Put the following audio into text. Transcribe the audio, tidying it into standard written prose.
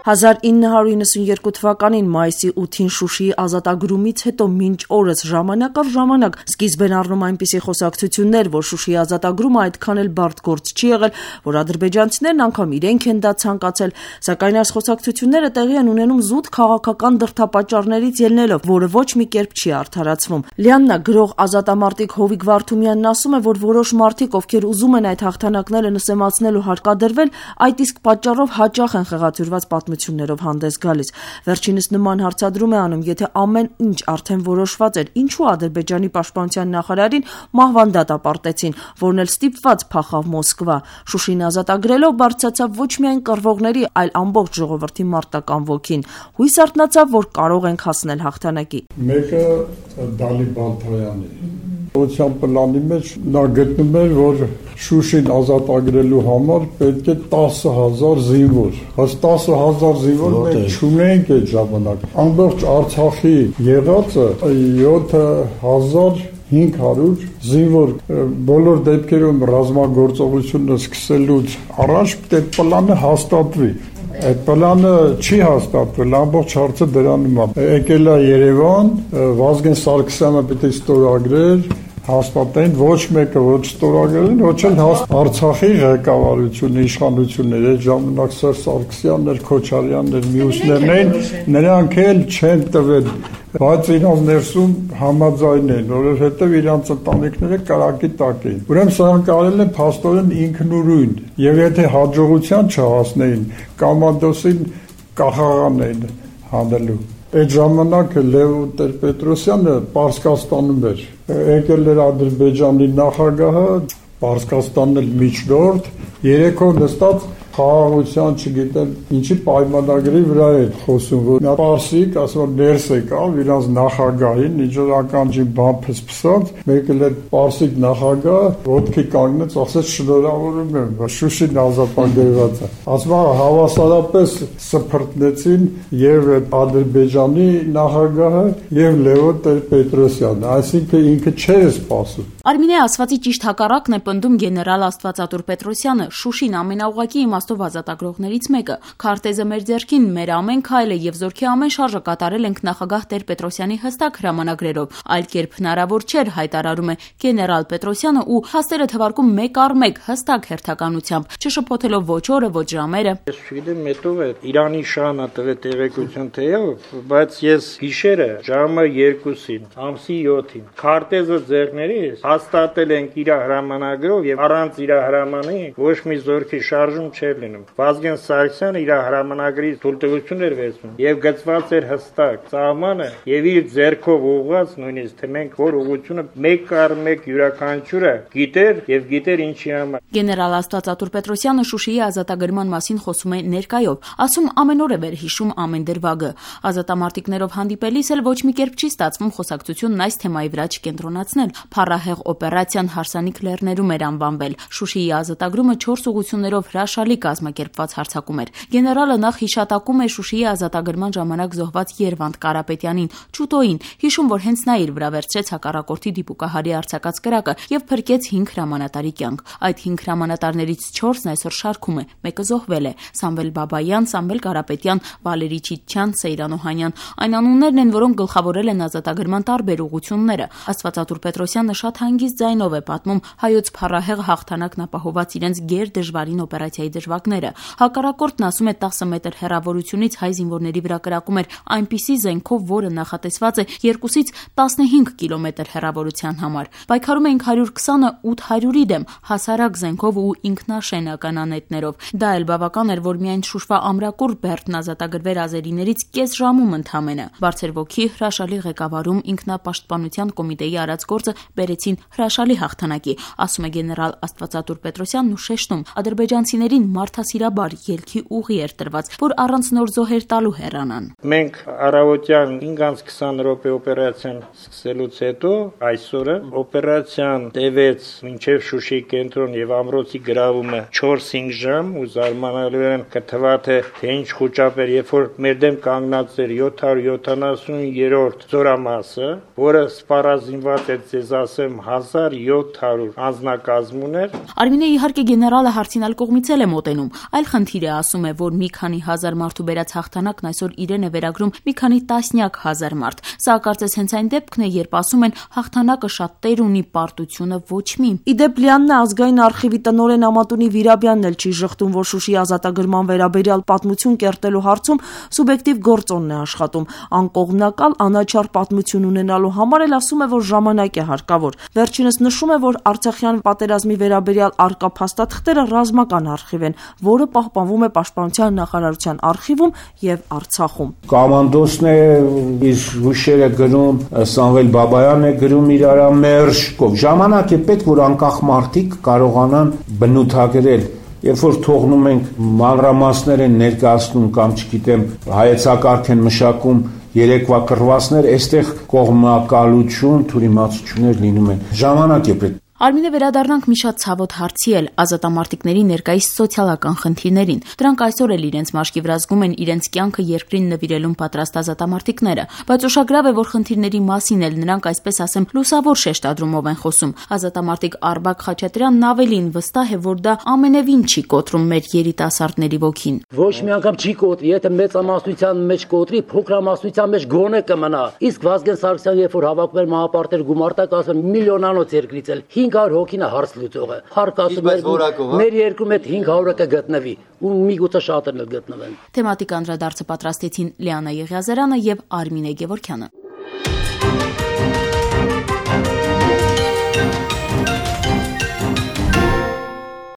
1992 թվականին մայիսի 8-ին Շուշիի ազատագրումից հետո մինչ օրս ժամանակ առ ժամանակ սկիզբ են առնում այնպիսի խոսակցություններ, որ Շուշիի ազատագրումը այդքան էլ բարդ գործ չի եղել, որ ադրբեջանցիներն անգամ իրենք են դա ցանկացել, սակայն այս խոսակցությունները տեղի են ունենում զուտ քաղաքական դրդապատճառներից ելնելով, որը ոչ մի կերպ չի արդարացվում։ Լիաննա գրող ազատամարտիկ Հովիկ Վարդումյանն ասում է, որ որոշ մարդիկ, ովքեր ուզում են այդ հաղթանակները նսեմացնել ու հարկադրվել, այդ իսկ պատճառով հաճախ են խեղաթյուրված պատմություններով հանդես գալիս։ Վերջինս նման հարցադրում է անում, եթե ամեն ինչ արդեն որոշված էր, ինչու Ադրբեջանի պաշտպանության նախարարին մահվան դատապարտեցին, որն էլ ստիպված փախավ Մոսկվա։ Շուշին ազատագրելով բարձրացավ ոչ միայն կռվողների, այլ ամբողջ ժողովրդի մարտական ոգին։ Հույս արթնացավ, որ կարող ենք հասնել հաղթանակի։ Մեկը Դալի Բալթոյանի Օցիան պլանի մեջ նա գտնում էր, որ Շուշին ազատագրելու համար պետք է 10,000 զինվոր։ Հենց 10,000 զինվոր մենք չունենք այդ ժամանակ։ Ամբողջ Արցախի եղածը 7,500 զինվոր բոլոր դեպքերում ռազմագործողությունը սկսելուց առաջ այդ պլանը հաստատվի։ Այդ պլանը չի հաստատվել, ամբողջ հարցը դրանում է։ Եկել է Երևան, Վազգեն Սարգսյանը պետք է ստորագրեր, հաստատեն, ոչ մեկը ոչ ստորագրել, ոչ էլ Արցախի ղեկավարությունը, իշխանությունները, այդ ժամանակ Սերժ Սարգսյանն էր, Քոչարյանն էր, մյուսներն էին, նրանք էլ չեն տվել, բայց իրանց ներսում համաձայն են, որովհետև իրանց ընտանիքները կրակի տակ էին։ Ուրեմն սրանք արել են փաստորեն ինքնուրույն, եւ եթե հաջողության չհասնեին, կոմանդոսին կախաղան էին հանելու։ Այդ ժամանակ Լևոն Տեր-Պետրոսյանը Պարսկաստանում էր, եկել էր Ադրբեջանի նախագահը, Պարսկաստանն էլ միջնորդ, երեքով նստած խաղաղության, չգիտեմ, ինչի պայմանագրի վրա է խոսում, որ նա Պարսիկ, ասում որ ներս եկավ իրանց նախագահին, ինչ-որ ականջին բան փսփսած, մեկը էլ Պարսիկ նախագահը ոտքի կանգնեց, ասեց շնորհավորում եմ, Շուշին ազատագրված է։ Ասում հավասարապես սփռտնեցին եւ Ադրբեջանի նախագահը եւ Լևոն Տեր-Պետրոսյանը, այսինքն ինքը չէր սպասում։ Արմինե ասվածի ճիշտ հակառակն է պնդում գեներալ Աստվածատուր Պետրոսյանը։ Շուշին ամենաուղղակի իմաստով ազատագրողներից մեկը։ Քարտեզը մեր ձեռքին, մեր ամեն քայլը եւ զորքի ամեն շարժը կատարել ենք նախագահ Տեր-Պետրոսյանի հստակ հրամանագրերով։ Այլ կերպ հնարավոր չէր, հայտարարում է գեներալ Պետրոսյանը ու հաստերը թվարկում մեկ առ մեկ հստակ հերթականությամբ, չշփոթելով ոչ օրը, ոչ ժամերը։ Ես չգիտեմ, մետով է Իրանի շանը տվել տեղեկություն թեև, բայց ես գիշերը ժամը 2-ին, ամսի 7-ին քարտեզը ձեռքներիս հաստատել ենք իր հրամանագրով եւ առանց իր հրամանի ոչ մի զորքի շարժում չէր լինում։ Վազգեն Սարգսյանը իր հրամանագրի թույլտվություն էր վերցնում եւ գծված էր հստակ սահմանը եւ իր ձեռքով ուղղված նույնիսկ թե մենք որ ուղղությունը մեկ առ մեկ յուրաքանչյուրը գիտեր եւ գիտեր ինչի համար։ Գեներալ Աստվածատուր Պետրոսյանը Շուշիի ազատագրման մասին խոսում է ներկայով, ասում ամեն օր է վերհիշում ամեն դրվագը։ Ազատամարտիկներով հանդիպելիս էլ ոչ մի կերպ չի ստացվում խոսակցությունն այս թեմայի վրա չկենտրոնացնել։ Փառահեղ օպերացիան հարսանիք լեռներում էր անվանվել։ Շուշիի ազատագրումը 4 ուղղություններով հրաշալի կազմակերպված հարձակում էր։ Գեներալը նախ հիշատակում է Շուշիի ազատագրման ժամանակ զոհված Երվանդ Կարապետյանին, Չուտոին, հիշում, որ հենց նա իր վրա վերցրեց հակառակորդի դիպուկահարի արձակած կրակը եւ փրկեց 5 հրամանատարի կյանք։ Այդ 5 հրամանատարներից 4-ն այսօր շարքում է, մեկը զոհվել է՝ Սամվել Բաբայան, Սամվել Կարապետյան, Վալերի Չիչյան, Սեյրան Օհանյան։ Այն անուններն են, որոնք գլխավորել են ազատագրման տարբեր ուղղությունները։ Աստվածատուր Պետրոսյանը շատ հանգիստ ձայնով է պատմում հայոց փառահեղ հաղթանակն ապահովված իրենց գեր դժվարին օպերացիայի դժվարները։ Հակառակորդն ասում է 10 մետր հեռավորությունից հայ զինվորների վրա կրակում էր այնպիսի զենքով, որը նախատեսված է 2-ից 15 կիլոմետր հեռավորության համար։ Պայքարում էինք 120-ը 800-ի դեմ, հասարակ զենքով ու ինքնաշենական անետներով։ Դա էլ բավական էր, որ միայն Շուշվա ամրակուր Բերդն ազատագրվեր ազերիներից կես ժամում ընդամենը։ Բարձր ոգի, հրաշալի ղեկավարում, ինքնապաշտպանության կոմիտեի արած գործը բերեցին հրաշալի հաղթանակի, ասում է գեներալ Աստվածատուր Պետրոսյանն ու շեշտում, ադրբեջանցիներին մարդասիրաբար ելքի ուղի էր տրված, որ առանց նոր զոհեր տալու հեռանան։ Մենք առավոտյան 5:20 րոպե օպերացիան սկսելուց հետո այսօրը օպերացիան տևեց մինչև Շուշի կենտրոն եւ ամրոցի գրավումը 4-5 ժամ ու զարմանալիորեն կթվա թե ինչ խոճապ էր, երբ որ մեր դեմ կանգնած էր 770-րդ զորամասը, որը սպառազինված էր ձեզ ասեմ 1700 անձնակազմուներ։ Արմինե իհարկե գեներալը հարցին այլ կողմից էլ է մոտենում մոտենում։ Այլ խնդիր է, ասում է, որ մի քանի հազար մարդու բերած հաղթանակն այսօր իրեն է վերագրում մի քանի տասնյակ հազար մարդ։ Սա կարծես հենց այն դեպքն է, երբ ասում են հաղթանակը շատ տեր ունի, պարտությունը ոչ մի։ Իդեպ Լիաննա ազգային արխիվի տնօրեն Ամատունի Վիրաբյանն էլ չի ժխտում, որ Շուշիի ազատագրման վերաբերյալ պատմություն կերտելու հարցում սուբյեկտիվ գործոնն է աշխատում։ Անկողմնակալ, անաչառ պատմություն ունենալու համար էլ ասում է, որ ժամանակ է հարկավոր։ Վերջինս նշում է, որ Արցախյան պատերազմի վերաբերյալ առկա փաստաթղթերը ռազմական արխիվ են, որը պահպանվում է Պաշտպանության նախարարության արխիվում եւ Արցախում։ Կոմանդոսն է իր հուշերը գրում, Սամվել Բաբայանն է գրում իր ամերժկով։ Ժամանակ է պետք, որ անկախ մարդիկ կարողանան բնութագրել։ Երբ որ թողնում ենք մանրամասներ են ներկայացնում կամ չգիտեմ հայեցակարգ են մշակում երեկվա կռվածներ, այստեղ կողմնակալություն, թյուրիմացություններ լինում են։ Ժամանակ է պետք։ Արմինե, վերադառնանք մի շատ ցավոտ հարցի էլ ազատամարտիկների ներկայիս սոցիալական խնդիրներին։ Դրանք այսօր էլ իրենց մաշկի վրա զգում են իրենց կյանքը երկրին նվիրելուն պատրաստ ազատամարտիկները, բայց ուշագրավ է, որ խնդիրների մասին էլ նրանք, այսպես ասեմ, լուսավոր շեշտադրումով են խոսում։ Ազատամարտիկ Արբակ Խաչատրյանն ավելին վստահ է, որ դա ամենևին չի կոտրում մեր երիտասարդների ոգին։ Ոչ մի անգամ չի կոտրի, եթե մեծամասնության մեջ կոտրի, փոքրամասնության մեջ գոնե կմնա։ Իսկ Վազգեն Սարգսյան, երբ որ հավաքում էր մահապարտեր գումարտակ, ասում միլիոնանոց երկրից էլ 500 հոգին է հարց լուծողը։ Հարկ ասում է մեր երկրում այդ 500-ը կգտնվի ու միգուցե շատերն էլ գտնվեն։ Թեմատիկ անդրադարձը պատրաստեցին Լիաննա Եղիազարյանը եւ Արմինե Գևորգյանը։